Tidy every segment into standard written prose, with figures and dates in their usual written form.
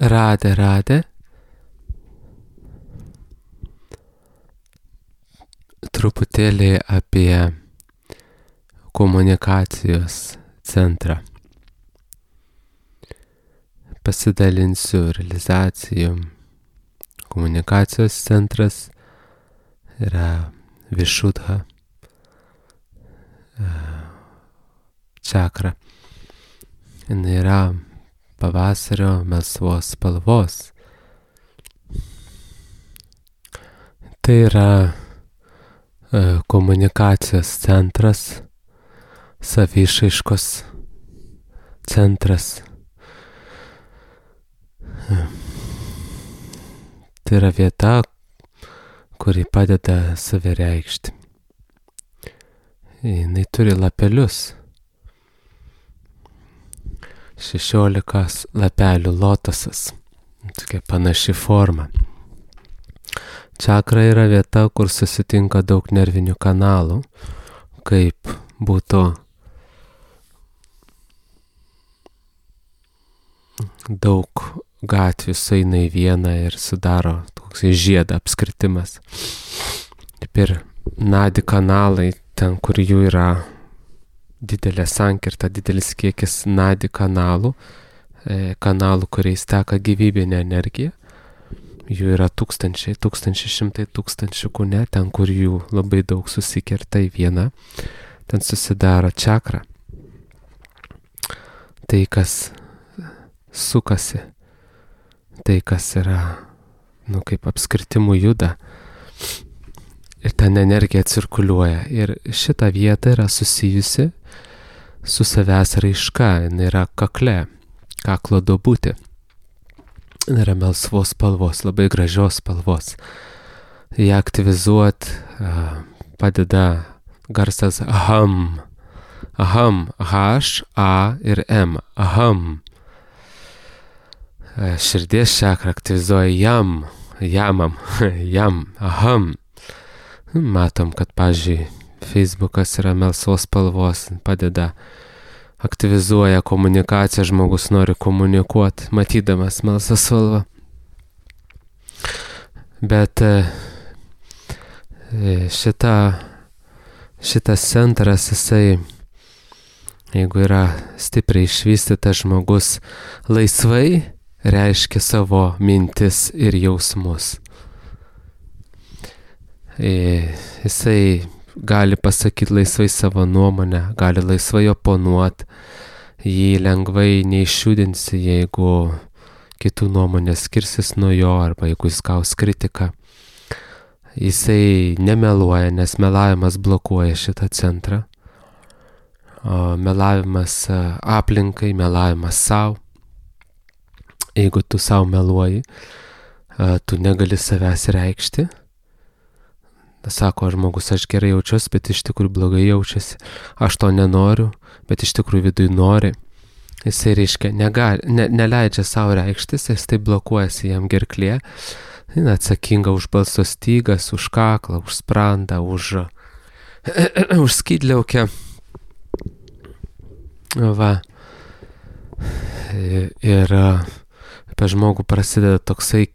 Radė. Truputėlį apie komunikacijos centrą. Pasidalinsiu realizacijų. Komunikacijos centras yra Višudha čakra. Jis yra pavasario melsvos spalvos. Tai yra komunikacijos centras, savišaiškos centras. Tai yra vieta, kuri padeda save reikšti. Jinai turi lapelius. 16 lapelių lotosas. Tokia panaši forma. Čakra yra vieta, kur susitinka daug nervinių kanalų, kaip būtų daug gatvių sueina į vieną ir sudaro toks žiedą apskritimas. Ir nadi kanalai, ten kur jų yra didelė sankirta, didelis kiekis nadi kanalų, kuriais teka gyvybinė energija. Jų yra tūkstančiai, šimtai tūkstančių kūne, ten kur jų labai daug susikerta į vieną, ten susidaro čakra. Tai, kas sukasi, tai, kas yra, kaip apskritimų juda, ir ten energija cirkuliuoja. Ir šita vieta yra susijusi su savęs raiška, jinai yra kakle, kaklo duobutė. Jinai yra melsvos spalvos, labai gražios spalvos. Ją aktyvizuot padeda garsas aham. Aham, H, A ir M. Aham. Širdies čakra aktyvizuoja jamam, aham. Matom, kad, pavyzdžiui, Facebookas yra melsvos spalvos, padeda, aktyvizuoja komunikaciją, žmogus nori komunikuoti, matydamas melsvą spalvą. Bet šitas centras, jisai, jeigu yra stipriai išvystytas žmogus, laisvai reiškia savo mintis ir jausmus. Jisai gali pasakyti laisvai savo nuomonę, gali laisvai oponuoti, jį lengvai neišjudinsi, jeigu kitų nuomonės skirsis nuo jo, arba jeigu jis gaus kritiką. Jisai nemeluoja, nes melavimas blokuoja šitą centrą. Melavimas aplinkai, melavimas savo. Jeigu tu savo meluoji, tu negali savęs reikšti. Sako žmogus, aš gerai jaučiuosi, bet iš tikrųjų blogai jaučiasi. Aš to nenoriu, bet iš tikrųjų viduj nori. Jisai reiškia, neleidžia savo reikštis, jis taip blokuojasi jam gerklė. Jis atsakinga už balso stygas, už kaklą, už sprandą, už skydliaukę. Va. Ir apie žmogų prasideda toksai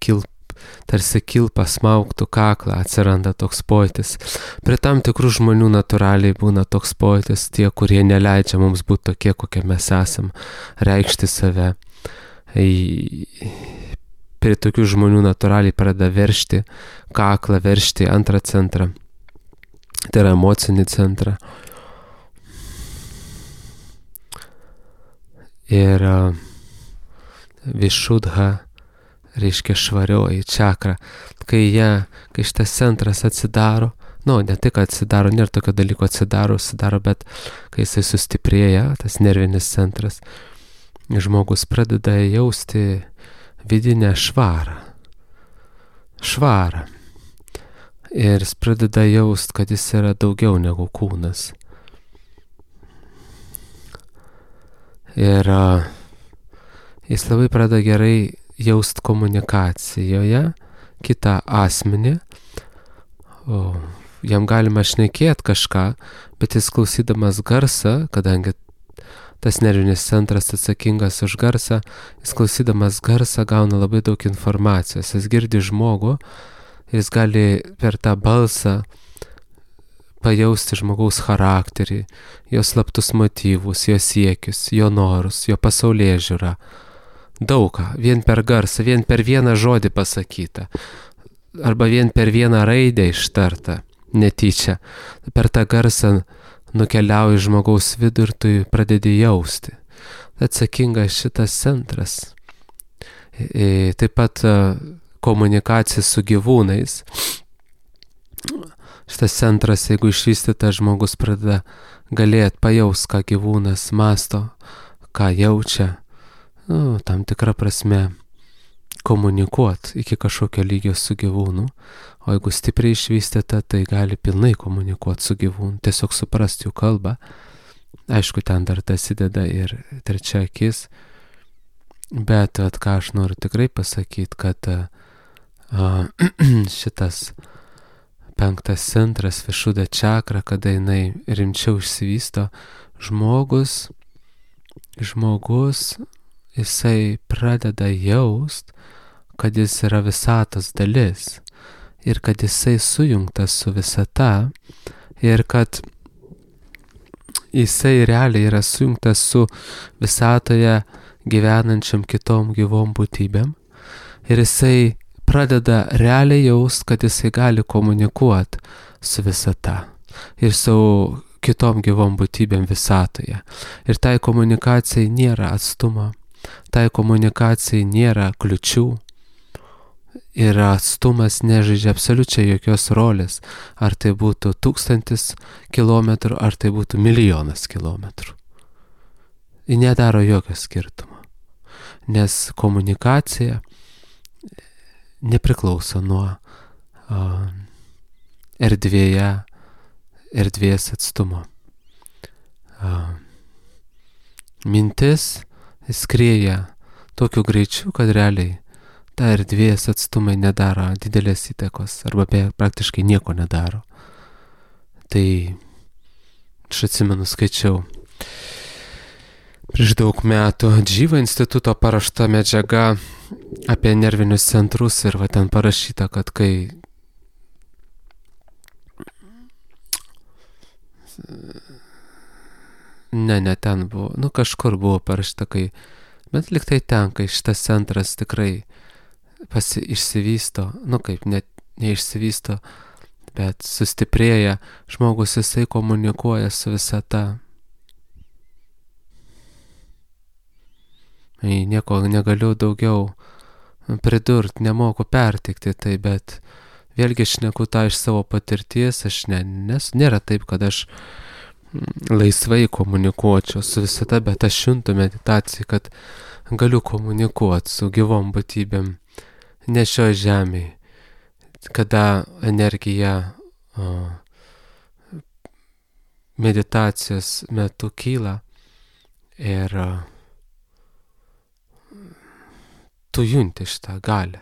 tarsi kilpa smaugtų kaklą, atsiranda toks pojūtis. Prie tam tikrų žmonių natūraliai būna toks pojūtis, tie, kurie neleidžia mums būti tokie, kokie mes esam, reikšti save. Prie tokių žmonių natūraliai pradeda veršti kaklą, veršti antrą centrą. Tai yra emocinį centrą. Ir Višudha reiškia švarioji čakra. Kai šitas centras atsidaro, ne tik atsidaro, nėra tokio dalyko atsidaro, bet kai jisai sustiprėja, tas nervinis centras, žmogus pradeda jausti vidinę švarą. Ir jis pradeda jausti, kad jis yra daugiau negu kūnas. Ir jis labai pradeda gerai jaust komunikacijoje kitą asmenį. Jam galima šnekėti kažką, bet jis klausydamas garsą, kadangi tas nervinis centras atsakingas už garsą, jis klausydamas garsą gauna labai daug informacijos, jis girdi žmogų, jis gali per tą balsą pajausti žmogaus charakterį, jo slaptus motyvus, jo siekius, jo norus, jo pasaulėžiūrą. Daugą, vien per garsą, vien per vieną žodį pasakytą, arba vien per vieną raidę ištartą, netyčia. Per tą garsą nukeliauji žmogaus vidų ir tu pradedi jausti. Atsakingas šitas centras. Taip pat komunikacija su gyvūnais. Šitas centras, jeigu išvystytas, žmogus pradeda galėti pajaust, ką gyvūnas masto, ką jaučia, tam tikrą prasme komunikuoti iki kažkokio lygio su gyvūnu, o jeigu stipriai išvystyta, tai gali pilnai komunikuoti su gyvūnu, tiesiog suprasti jų kalbą. Aišku, ten dar dasideda ir trečia akis, bet ką aš noriu tikrai pasakyti, kad šitas 5 centras, Višuddha čakra, kada jinai rimčiau išsivysto, žmogus, jisai pradeda jaust, kad jis yra visatos dalis ir kad jisai sujungtas su visata ir kad jisai realiai yra sujungtas su visatoje gyvenančiam kitom gyvom būtybėm ir jisai pradeda realiai jaust, kad jisai gali komunikuoti su visata ir su kitom gyvom būtybėm visatoje. Ir tai komunikacijai nėra atstumo, tai komunikacijai nėra kliučių ir atstumas nežaidžia absoliučiai jokios rolės, ar tai būtų 1000 kilometrų, ar tai būtų 1 000 000 kilometrų. Ji nedaro jokio skirtumo, nes komunikacija nepriklauso nuo erdvės atstumo. Mintis skrieja tokiu greičiu, kad realiai ta erdvės atstumai nedaro didelės įtakos arba praktiškai nieko nedaro. Tai aš atsimenu, skaičiau prieš daug metų Džyva instituto parašta medžiaga apie nervinius centrus ir ten parašyta, kad kai ne ten buvo, kažkur buvo parašyta, bet liktai ten, kai šitas centras tikrai išsivysto, kaip net neišsivysto, bet sustiprėja, žmogus jisai komunikuoja su visata. Nieko negaliu daugiau pridurti, nemoku pertikti tai, bet vėlgi šneku tą iš savo patirties, nes nėra taip, kad aš laisvai komunikuočiau su visata, bet aš juntu meditaciją, kad galiu komunikuoti su gyvom būtybėm ne šioje žemėje, kada energija meditacijos metu kyla ir tu junti šitą galią.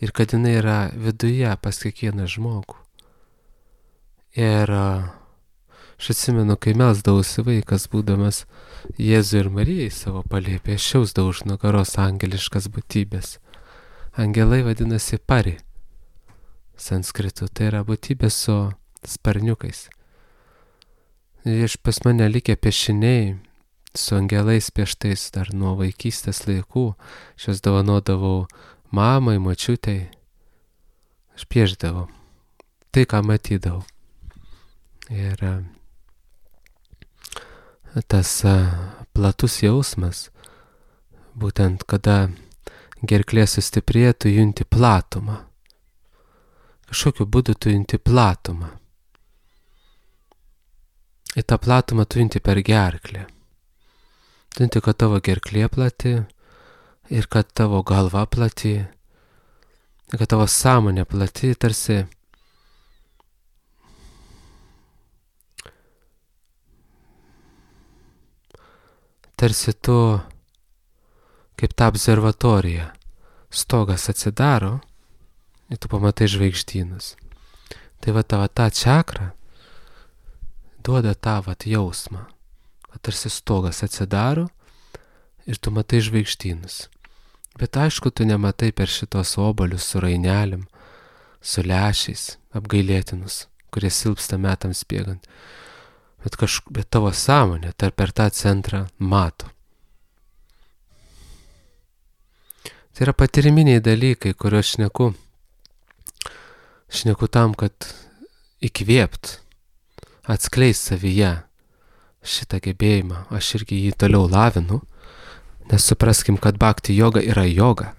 Ir kad jinai yra viduje pas kiekvieną žmogų. Ir aš atsimenu, kai melsdavausi vaikas, būdamas Jėzui ir Marijai savo palėpėje, aš jausdavau už nugaros angeliškas būtybės. Angelai vadinasi pari. Sanskritu, tai yra būtybė su sparniukais. Ir pas mane likę piešiniai su angelais pieštais dar nuo vaikystės laikų. Aš juos dovanodavau mamai, močiutei. Aš piešdavau tai, ką matydavau. Ir tas platus jausmas, būtent kada gerklė sustiprėja, tu junti platumą. Kažkokiu būdu tu junti platumą. Į tą platumą tu junti per gerklę. Tu junti, kad tavo gerklė plati ir kad tavo galva plati, ir kad tavo sąmonė plati, tarsi tu kaip ta observatorija. Stogas atsidaro ir tu pamatai žvaigždynus. Tai tavo ta čakra duoda tą jausmą, tarsi stogas atsidaro ir tu matai žvaigždynus. Bet aišku, tu nematai per šitos obolius su rainelėm, su lęšiais, apgailėtinus, kurie silpsta metams bėgant. Bet tavo sąmonė per tą centrą mato. Tai yra patyriminiai dalykai, kuriuos šneku. Šneku tam, kad įkvėpt, atskleist savyje šitą gebėjimą. Aš irgi jį toliau lavinu, nes supraskim, kad bhakti joga yra joga.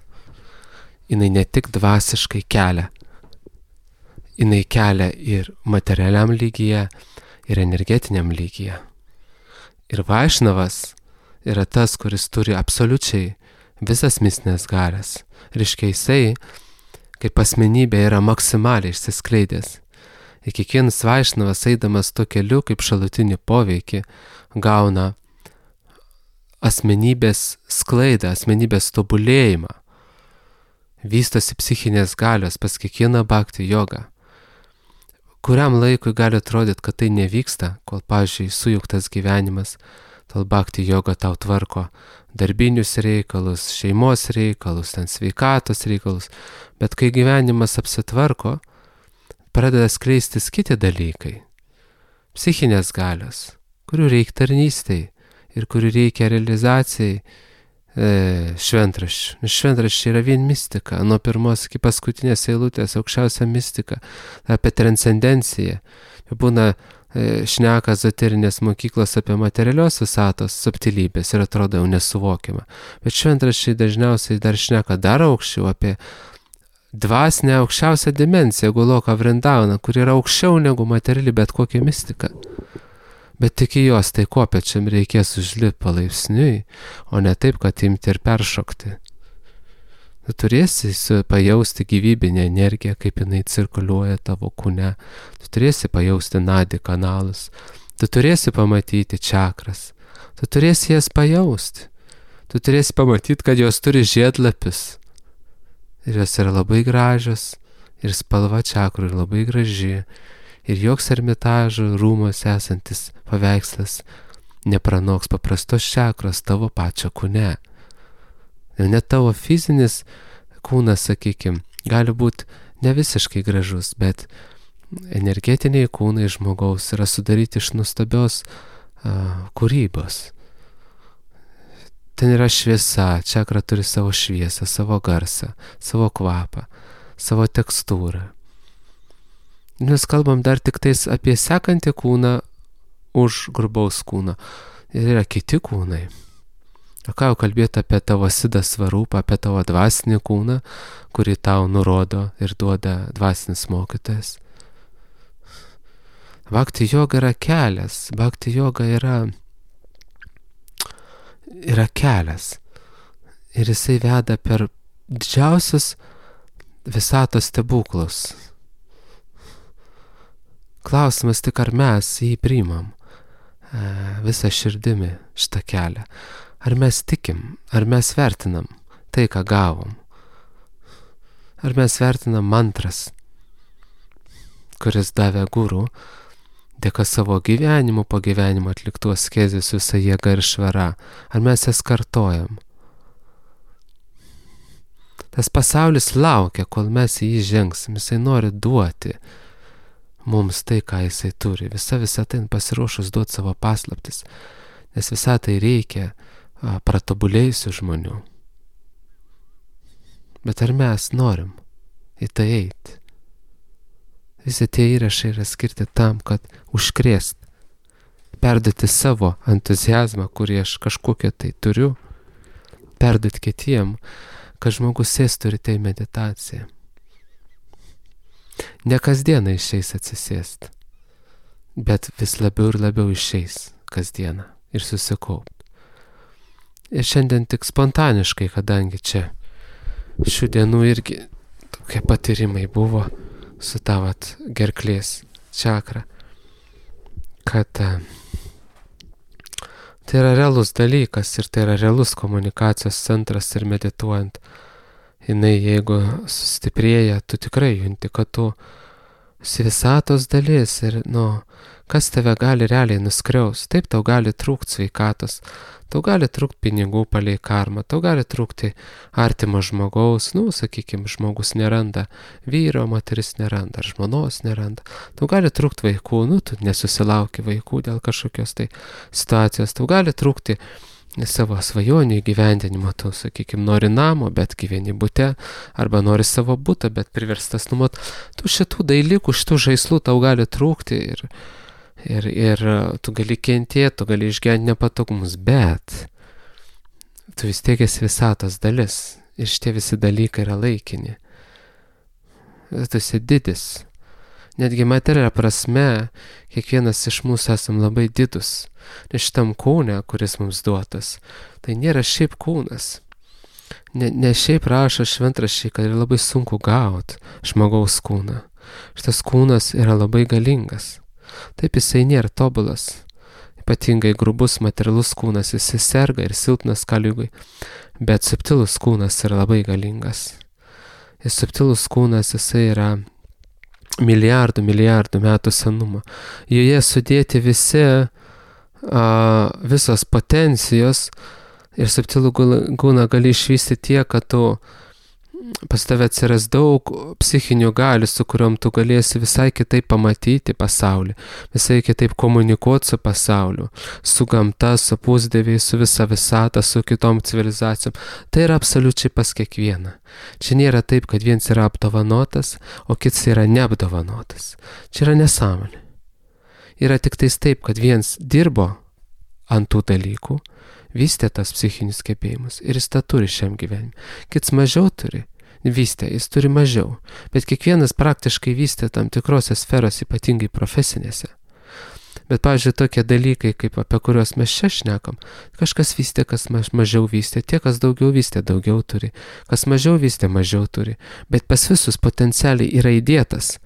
Jinai ne tik dvasiškai kelia, jinai kelia ir materialiam lygyje, ir energetiniam lygyje. Ir Vaišnavas yra tas, kuris turi absoliučiai visas mistinės galias. Reiškia, jisai kaip asmenybė yra maksimaliai išsiskleidęs. Ir kiekvienas Vaišnavas, eidamas tuo keliu, kaip šalutinį poveikį, gauna asmenybės sklaidą, asmenybės tobulėjimą. Vystosi psichinės galios pas kiekvieną bhakti jogą. Kuriam laikui gali atrodyti, kad tai nevyksta, kol, pavyzdžiui, sujungtas gyvenimas, tol bhakti joga tau tvarko darbinius reikalus, šeimos reikalus, sveikatos reikalus, bet kai gyvenimas apsitvarko, pradeda skleistis kiti dalykai, psichinės galios, kurių reikia tarnystei ir kurių reikia realizacijai šventraščių. Šventraščiai yra vien mistika, nuo pirmos iki paskutinės eilutės aukščiausia mistika, apie transcendenciją. Būna šneka ezoterinės mokyklos apie materialios visatos subtilybės ir atrodo jau nesuvokiama. Bet šventraščiai dažniausiai dar šneka dar aukščiau apie dvasinę aukščiausią dimensiją, Goloką Vrindavaną, kur yra aukščiau negu materiali bet kokia mistika. Bet tik į jos tai kopečiam reikės užlipti palaipsniui, o ne taip, kad imti ir peršokti. Tu turėsi pajausti gyvybinę energiją, kaip jinai cirkuliuoja tavo kūne. Tu turėsi pajausti nadi kanalus. Tu turėsi pamatyti čakras. Tu turėsi jas pajausti. Tu turėsi pamatyti, kad jos turi žiedlapius. Ir jos yra labai gražios. Ir spalva čakrų yra labai graži. Ir joks ermitažo rūmos esantis paveikslas nepranoks paprastos čakros tavo pačio kūne. Ir net tavo fizinis kūnas, sakykime, gali būti ne visiškai gražus, bet energetiniai kūnai žmogaus yra sudaryti iš nuostabios kūrybos. Ten yra šviesa, čakra turi savo šviesą, savo garsą, savo kvapą, savo tekstūrą. Mes kalbam dar tik tais apie sekantį kūną už grubaus kūno. Ir yra kiti kūnai. O ką jau kalbėti apie tavo sidą svarupą, apie tavo dvasinį kūną, kurį tau nurodo ir duoda dvasinis mokytojas. Bhakti joga yra kelias. Bhakti joga yra kelias. Ir jisai veda per didžiausius visatos stebuklus. Klausimas tik, ar mes jį priimam visą širdimi šitą kelią. Ar mes tikim, ar mes vertinam tai, ką gavom. Ar mes vertinam mantras, kuris davė guru, dėka savo gyvenimu, po gyvenimo atliktų askezių su visa jėga ir švara. Ar mes jas kartojam. Tas pasaulis laukia, kol mes į jį žengsim. Jisai nori duoti mums tai, ką jisai turi. Visa tai pasiruošus duoti savo paslaptis. Nes visą tai reikia pratobulėjusių žmonių. Bet ar mes norim į tai eiti? Visi tie įrašai yra skirti tam, kad užkrėst, perduoti savo entuziazmą, kurį aš kažkokią tai turiu, perduoti kitiem, kad žmogus sėstų ir tai meditacija. Ne kasdieną išeis atsisėsti, bet vis labiau ir labiau išeis kasdieną ir susikaupt. Ir šiandien tik spontaniškai, kadangi čia šių dienų irgi tokie patyrimai buvo su tavat gerklės čakra, kad tai yra realus dalykas ir tai yra realus komunikacijos centras ir medituojant, jinai jeigu sustiprėja, tu tikrai junti, kad tu visatos dalis ir, kas tave gali realiai nuskriaus. Taip, tau gali trūkti sveikatos, tau gali trūkti pinigų palei karmą, tau gali trūkti artimo žmogaus, sakykime, žmogus neranda vyro, moteris neranda, ar žmonos neranda, tau gali trūkti vaikų, tu nesusilauki vaikų dėl kažkokios tai situacijos, tau gali trūkti savo svajonių įgyvendinimo, tu, sakykime, nori namo, bet gyveni bute, arba nori savo butą, bet priverstas numot. Tu šitų dalykų, šitų žaislų tau gali trūkti ir tu gali kentėti, tu gali išgyventi nepatogumus, bet tu vis tiek esi visatos dalis ir šitie visi dalykai yra laikini. Tu esi didis. Netgi materialia prasme, kiekvienas iš mūsų esam labai didus. Nes šitam kūne, kuris mums duotas, tai nėra šiaip kūnas. Ne šiaip rašo šventraščiai, kad yra labai sunku gauti žmogaus kūną. Šitas kūnas yra labai galingas. Taip, jisai nėra tobulas. Ypatingai grubus materialus kūnas, jisai serga ir silpnas kaliugui. Bet subtilus kūnas yra labai galingas. Ir subtilus kūnas, jisai yra milijardų metų senumo. Joje sudėti visos potencijos ir subtilų kūną gali išvystyti tiek, kad pas tave atsiras daug psichinių galių, su kuriuom tu galėsi visai kitaip pamatyti pasaulį, visai kitaip komunikuoti su pasauliu, su gamta, su pusdieviais, su visa visata, su kitom civilizacijom. Tai yra absoliučiai pas kiekvieną. Čia nėra taip, kad viens yra apdovanotas, o kits yra neapdovanotas. Čia yra nesąmonė. Yra tik tais taip, kad viens dirbo ant tų dalykų, vystė tas psichinius gebėjimus ir jis tą turi šiam gyvenimui. Kits mažiau turi, vystė, jis turi mažiau, bet kiekvienas praktiškai vystė tam tikrose sferos, ypatingai profesinėse. Bet, pavyzdžiui, tokie dalykai, kaip apie kuriuos mes čia šnekam, kažkas vystė, kas mažiau vystė, tie, kas daugiau vystė, daugiau turi, kas mažiau vystė, mažiau turi, bet pas visus potencialiai yra įdėtas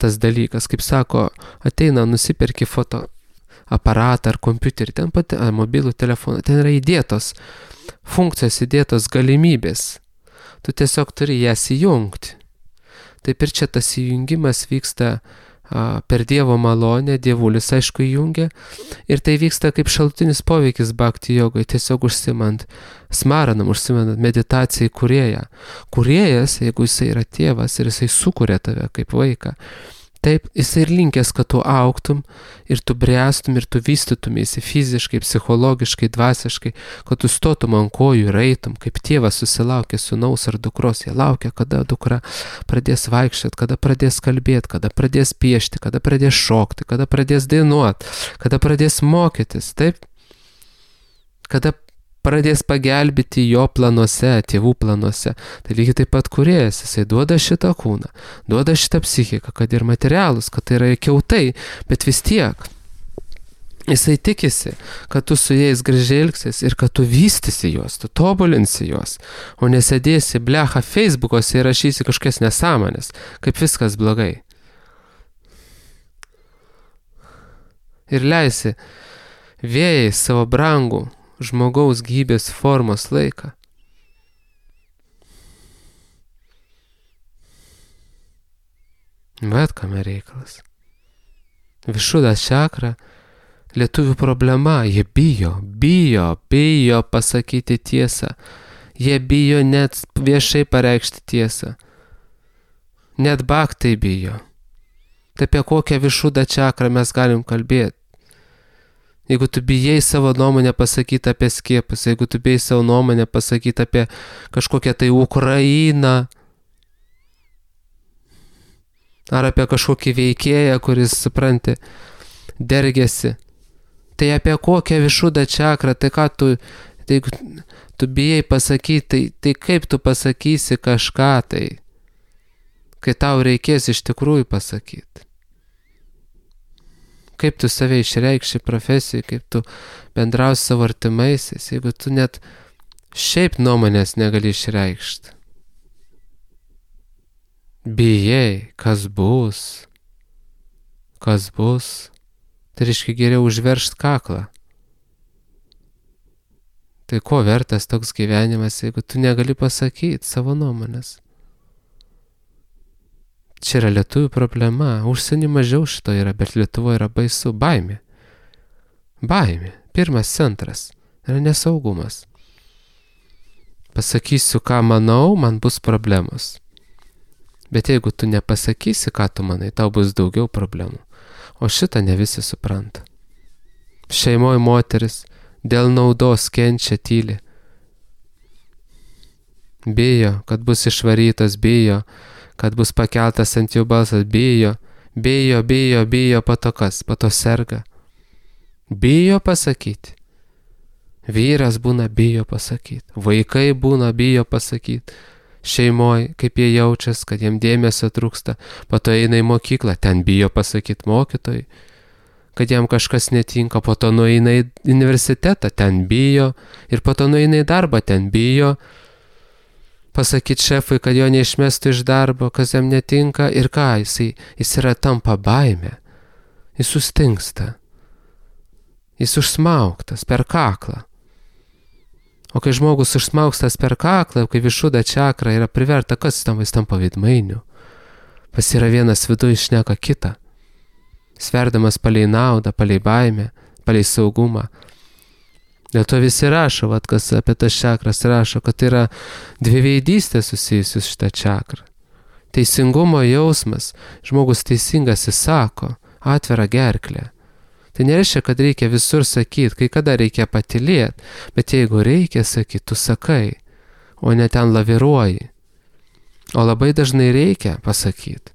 tas dalykas, kaip sako, ateina, nusiperki fotoaparatą ar kompiuterį, ten mobilų telefoną, ten yra įdėtos funkcijos, įdėtos galimybės. Tu tiesiog turi jas įjungti. Taip ir čia tas įjungimas vyksta per Dievo malonę, Dievulis aišku įjungia, ir tai vyksta kaip šalutinis poveikis bhakti jogai, tiesiog užsimant smaranam, užsimant meditacijai kūrėją. Kūrėjas, jeigu jisai yra tėvas ir jisai sukuria tave kaip vaiką, taip, jisai ir linkęs, kad tu augtum ir tu bręstum ir tu vystytumėsi fiziškai, psichologiškai, dvasiškai, kad tu stotum ant kojų ir eitum, kaip tėvas susilaukia sūnaus ar dukros, jie laukia, kada dukra pradės vaikščioti, kada pradės kalbėti, kada pradės piešti, kada pradės šokti, kada pradės dainuoti, kada pradės mokytis, taip, kada pradės pagelbėti jo planuose, tėvų planuose. Tai lygiai taip pat kūrėjas, jisai duoda šitą kūną, duoda šitą psichiką, kad ir materialus, kad tai yra kiautai, bet vis tiek jisai tikisi, kad tu su jais gražiai elgsies ir kad tu vystysi juos, tu tobulinsi juos, o nesėdėsi blecha Facebook'ose ir rašysi kažkokias nesąmonės, kaip viskas blogai. Ir leisi vėjai savo brangų žmogaus gyvybės formos laiką. Bet kame reikalas. Višuda čakra, lietuvių problema, jie bijo pasakyti tiesą. Jie bijo net viešai pareikšti tiesą. Net bhaktai bijo. Tai apie kokią višudą čakrą mes galim kalbėti? Jeigu tu bijai savo nuomonę pasakyti apie skiepus, jeigu tu bijai savo nuomonę pasakyti apie kažkokią tai Ukrainą, ar apie kažkokį veikėją, kuris, supranti, dergėsi, tai apie kokią višudą čakrą, tai ką jeigu tu bijai pasakyti, tai kaip tu pasakysi kažką tai, kai tau reikės iš tikrųjų pasakyti. Kaip tu save išreikši profesijai, kaip tu bendrausi savo artimaisiais, jeigu tu net šiaip nuomonės negali išreikšti. Bijai, kas bus, tai reiškia geriau užveršt kaklą. Tai ko vertas toks gyvenimas, jeigu tu negali pasakyti savo nuomonės? Čia yra lietuvių problema, užsienį mažiau šito yra, bet Lietuvoje yra baisu, baimė. Baimė, pirmas centras, yra nesaugumas. Pasakysiu, ką manau, man bus problemos. Bet jeigu tu nepasakysi, ką tu manai, tau bus daugiau problemų. O šitą ne visi supranta. Šeimoje moteris dėl naudos kenčia tyli. Bijo, kad bus išvarytas, bijo, kad bus pakeltas ant jų balsas, bijo, po to kas, po to serga. Bijo pasakyti. Vyras būna bijo pasakyti, vaikai būna bijo pasakyti. Šeimoje, kaip jie jaučiasi, kad jiem dėmesio trūksta, po to eina į mokyklą, ten bijo pasakyti mokytojai, kad jam kažkas netinka, po to nueina į universitetą, ten bijo, ir po to nueina į darbą, ten bijo pasakyti šefui, kad jo neišmestų iš darbo, kas jam netinka, ir ką, jis yra tampa baimė, jis sustingsta, jis užsmaugtas per kaklą. O kai žmogus užsmaugstas per kaklą, kai višuda čakra yra priverta, kas jis tampa veidmainiu. Pas yra vienas viduje šneka kitą. Sverdamas palei naudą, palei baimę, palei saugumą. Dėl to visi rašo, kas apie tas čakras rašo, kad tai yra dviveidystė susijusi su šitą čakrą. Teisingumo jausmas, žmogus teisingas įsako, atvira gerklė. Tai nereiškia, kad reikia visur sakyti, kai kada reikia patylėti, bet jeigu reikia sakyti, tu sakai, o ne ten laviruoji. O labai dažnai reikia pasakyti.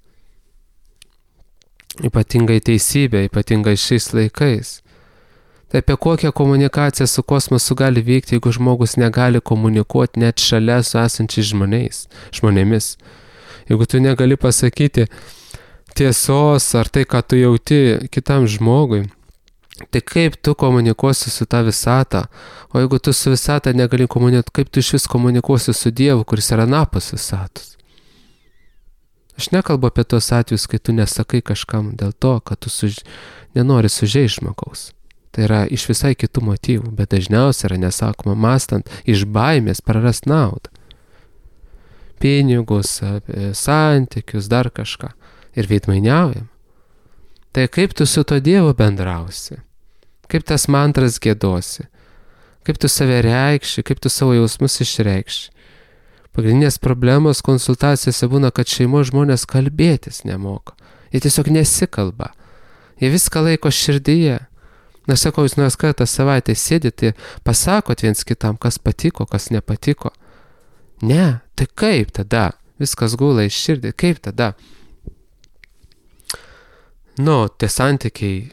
Ypatingai teisybė, ypatingai šiais laikais. Tai apie kokią komunikaciją su kosmosu gali vykti, jeigu žmogus negali komunikuoti net šalia su esančiais žmonėmis. Jeigu tu negali pasakyti tiesos ar tai, ką tu jauti kitam žmogui, tai kaip tu komunikuosi su ta visata? O jeigu tu su visata negali komunikuoti, kaip tu iš vis komunikuosi su Dievu, kuris yra anapus visatos? Aš nekalbu apie tos atvejus, kai tu nesakai kažkam dėl to, kad tu nenori sužeisti žmogaus. Tai yra iš visai kitų motyvų, bet dažniausiai yra nesakoma mąstant iš baimės prarast naudą. Pinigus, santykius, dar kažką. Ir veidmainiaujam. Tai kaip tu su to Dievu bendrausi? Kaip tas mantras giedosi? Kaip tu save reikši? Kaip tu savo jausmus išreikši? Pagrindinės problemos konsultacijose būna, kad šeimos žmonės kalbėtis nemoka. Jie tiesiog nesikalba. Jie viską laiko širdyje. Na, sakau, jūs nors kartą savaitę sėdite, pasakot viens kitam, kas patiko, kas nepatiko. Ne, tai kaip tada? Viskas gula iš širdį. Kaip tada? Tie santykiai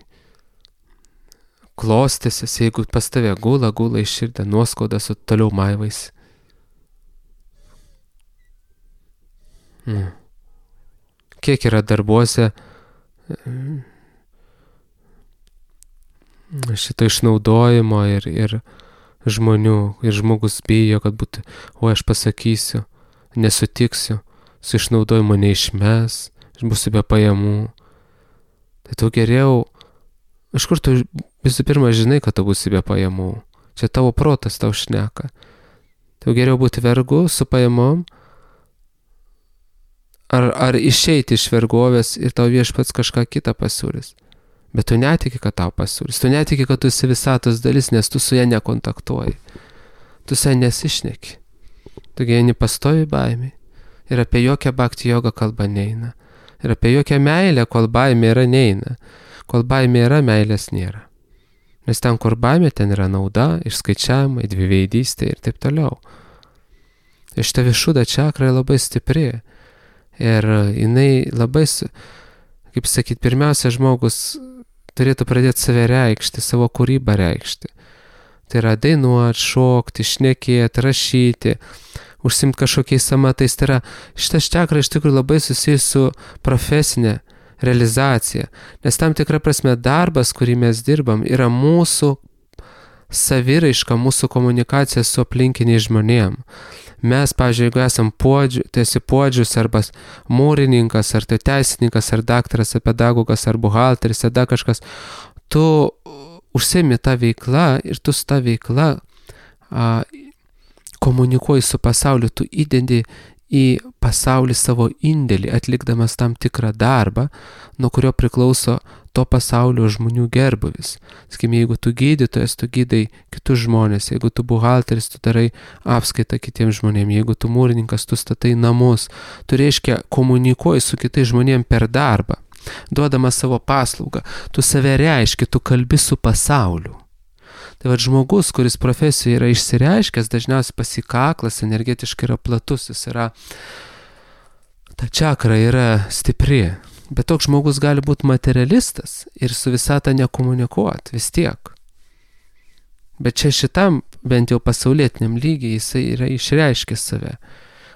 klostysis, jeigu pas tave gula iš širdį, nuoskaudas, o toliau maivaisi. Kiek yra darbuose šito išnaudojimo ir žmonių, ir žmogus bijo, kad būtų, aš pasakysiu, nesutiksiu, su išnaudojimu neišmes, būsiu be pajamų. Tai tu geriau, iš kur tu visų pirma žinai, kad tu būsi be pajamų. Čia tavo protas tau šneka. Tai geriau būti vergu su pajamom, ar išeiti iš vergovės ir tau viešpats kažką kitą pasiūlys. Bet tu netiki, kad tau pasiūlys. Tu netiki, kad tu esi visatos dalis, nes tu su ja nekontaktuoji. Tu su ja nesišneki. Tu gyveni pastovi baimė. Ir apie jokią bhakti jogą kalba neina. Ir apie jokią meilę, kol baimė yra, neina. Kol baimė yra, meilės nėra. Nes ten, kur baimė, ten yra nauda, išskaičiavimai, dviveidystė ir taip toliau. Ir šita višuda čakra labai stipri. Ir jinai labai, kaip sakyt, pirmiausia, žmogus turėtų pradėti save reikšti, savo kūrybą reikšti. Tai yra dainuoti, šokti, šnekėti, rašyti, užsimti kažkokiais amatais. Tai yra, šitas čakra iš tikrųjų labai susijęs su profesinė realizacija. Nes tam tikra prasme darbas, kurį mes dirbam, yra mūsų saviraiška, mūsų komunikacija su aplinkiniais žmonėm. Mes, pavyzdžiui, jeigu esam tu esi puodžius, arba mūrininkas, ar tai teisininkas, ar daktaras, ar pedagogas, ar buhalteris, ar dar kažkas, tu užsiimi tą veiklą ir tu su tą veiklą komunikuoji su pasauliu, tu įdendi į pasaulį savo indėlį, atlikdamas tam tikrą darbą, nuo kurio priklauso to pasaulio žmonių gerbuvis. Sakykime, jeigu tu gydytojas, tu gydai kitus žmonės, jeigu tu buhalteris, tu darai apskaitą kitiems žmonėms, jeigu tu mūrininkas, tu statai namus, tu reiškia komunikuoji su kitais žmonėms per darbą, duodamas savo paslaugą, tu save reiški, tu kalbi su pasauliu. Tai va žmogus, kuris profesijoje yra išsireiškęs, dažniausiai pasikaklas, energetiškai yra platus, jis yra, ta čakra yra stipri. Bet toks žmogus gali būti materialistas ir su visata nekomunikuoti vis tiek. Bet čia šitam, bent jau pasaulietiniam lygiai, jisai yra išreiškęs save.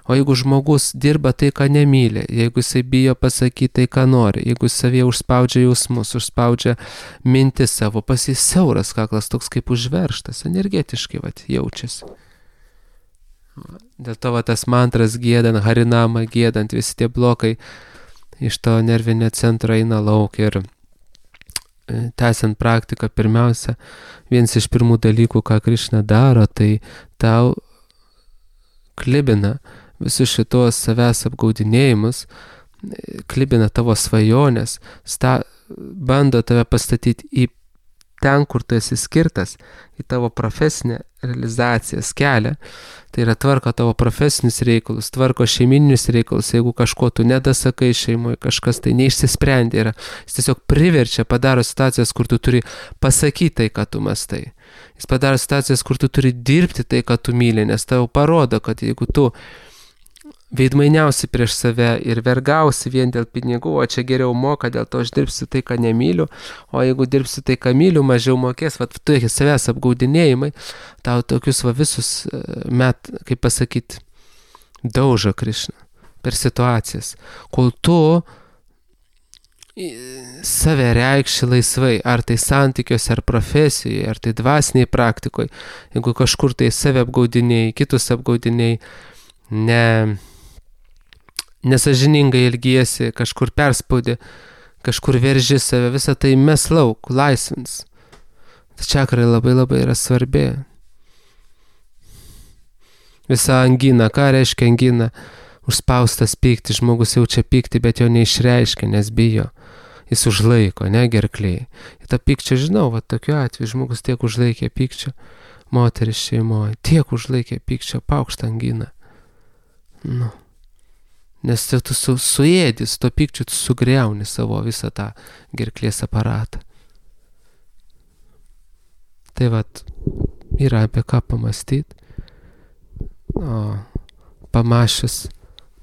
O jeigu žmogus dirba tai, ką nemyli, jeigu jisai bijo pasakyti tai, ką nori, jeigu jis savyje užspaudžia jausmus, užspaudžia mintis savo, pas jis siauras kaklas, toks kaip užverštas, energetiškai jaučiasi. Dėl to tas mantras giedant, harinamą giedant, visi tie blokai iš to nervinio centro eina lauk ir tęsiant praktiką, pirmiausia, vienas iš pirmų dalykų, ką Krišna daro, tai tau klibina visus šitos savęs apgaudinėjimus, klibina tavo svajonės, bando tave pastatyti į ten, kur tu esi skirtas, į tavo profesinę realizacijas kelią, tai yra tvarko tavo profesinius reikalus, tvarko šeiminius reikalus, jeigu kažko tu nedasakai šeimoje, kažkas tai neišsisprendė yra, jis tiesiog priverčia, padaro situacijas, kur tu turi pasakyti tai, ką tu mastai. Jis padaro situacijas, kur tu turi dirbti tai, ką tu myli, nes tau parodo, kad jeigu tu veidmainiausi prieš save ir vergausi vien dėl pinigų, o čia geriau moka, dėl to aš dirbsiu tai, ką nemyliu, o jeigu dirbsiu tai, ką myliu, mažiau mokės, tu savęs apgaudinėjimai, tau tokius visus kaip pasakyti, daužo Krišna per situacijas, kol tu save reikši laisvai, ar tai santykiuose, ar profesijoje, ar tai dvasiniai praktikoje, jeigu kažkur tai save apgaudinėjai, kitus apgaudinėjai, nesažiningai elgiesi, kažkur perspaudi, kažkur verži save, visą tai mes lauk, laisvins. Ta čakra labai labai yra svarbi. Visa angina, ką reiškia angina? Užspaustas pykti, žmogus jaučia pykti, bet jo neišreiškia, nes bijo. Jis užlaiko, gerklėje. Ir tą pykčio žinau, tokiu atveju žmogus tiek užlaikė pykčio, moteris šeimoje, tiek užlaikė pykčio, paukštą anginą. Nes tu suėdis, to pykčiu tu sugriauni savo visą tą gerklės aparatą. Tai yra apie ką pamastyti, o pamašius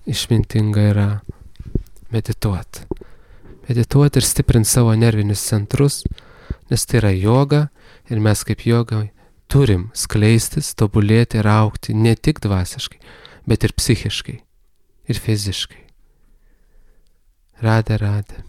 išmintinga yra medituoti. Medituoti ir stiprinti savo nervinius centrus, nes tai yra joga ir mes kaip joga turim skleistis, tobulėti ir augti ne tik dvasiškai, bet ir psichiškai, ir fiziškai. Radhe, radhe.